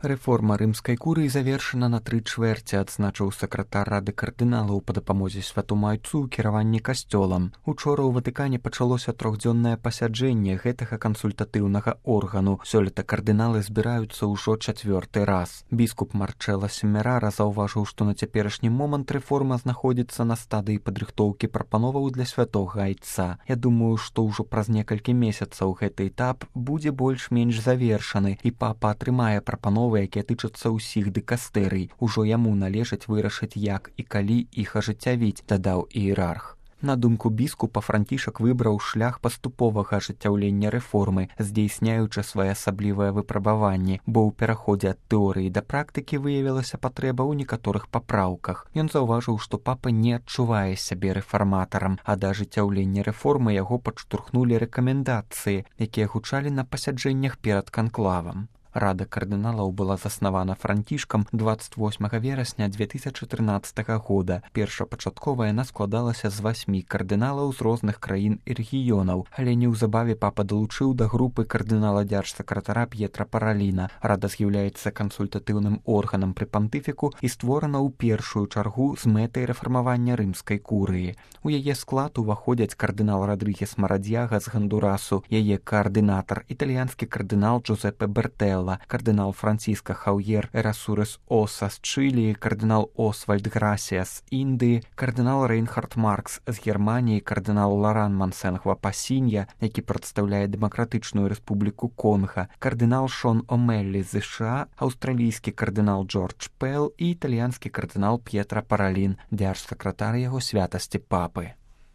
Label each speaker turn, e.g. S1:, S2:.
S1: Рэформа рымскай курыі завершана на 3/4, адзначыў сакратар рады кардыналаў па дапамозе святому айцу ў кіраванні касцёлам. Учора ў Ватыкане пачалося трохдзённае пасяджэнне гэтага кансультатыўнага органу. Сёлета кардыналы збіраюцца ўжо 4-й раз. Біскуп Марчэлла Семерара заўважыў, што на цяперашні момант рэформа знаходзіцца на стадыі падрыхтоўкі прапановаў для святога айца. Я думаю, што ўжо праз некалькі месяцаў гэты этап будзе больш-менш завершаны, і папа атрымае прапановы, якія тычацца ўсіх дыкастэрый. Ужо яму належыць вырашыць, як і калі іх ажыццявіць, дадаў іерарх. На думку біскупа, Францішак выбраў шлях паступовага ажыццяўлення рэформы, здзейсняючы своеасаблівае выпрабаванне, бо ў пераходзе ад тэорыі да практыкі выявілася патрэба ў некаторых папраўках. Ён заўважыў, што папа не адчувае сябе рэфарматарам, а да ажыццяўлення рэформы яго падштурхнулі рэкамендацыі, якія гучалі на пасяджэннях перад канклавам. Рада кардыналаў была заснавана Францішкам 28 верасня 2013 года. Першапачаткова яна складалася з 8 кардыналаў з розных краін і рэгіёнаў, але неўзабаве папа далучыў да групы кардынала дзяржсакратара П'етра Параліна. Рада з'яўляецца кансультатыўным органам пры пантыфіку і створана ў першую чаргу з мэтай рэфармавання рымскай курыі. У яе склад уваходзяць кардынал Радрыгес Марадзяга з Гондурасу, яе каардынатар, італьянскі кардынал Джузеппе Бертэлла, кардынал Франциско Хаўер Эрасурес Оса з Чылі, кардынал Освальд Грасія з Індыі, кардынал Рейнхард Маркс з Германіі, кардынал Ларан Мансенгва Пасінья, які прадстаўляе Дэмакратычную рэспубліку Конга, кардынал Шон Омеллі з США, аўстралійскі кардынал Джордж Пэл і італьянскі кардынал П'етра Паралін, дзяржсакратар яго святасці папы.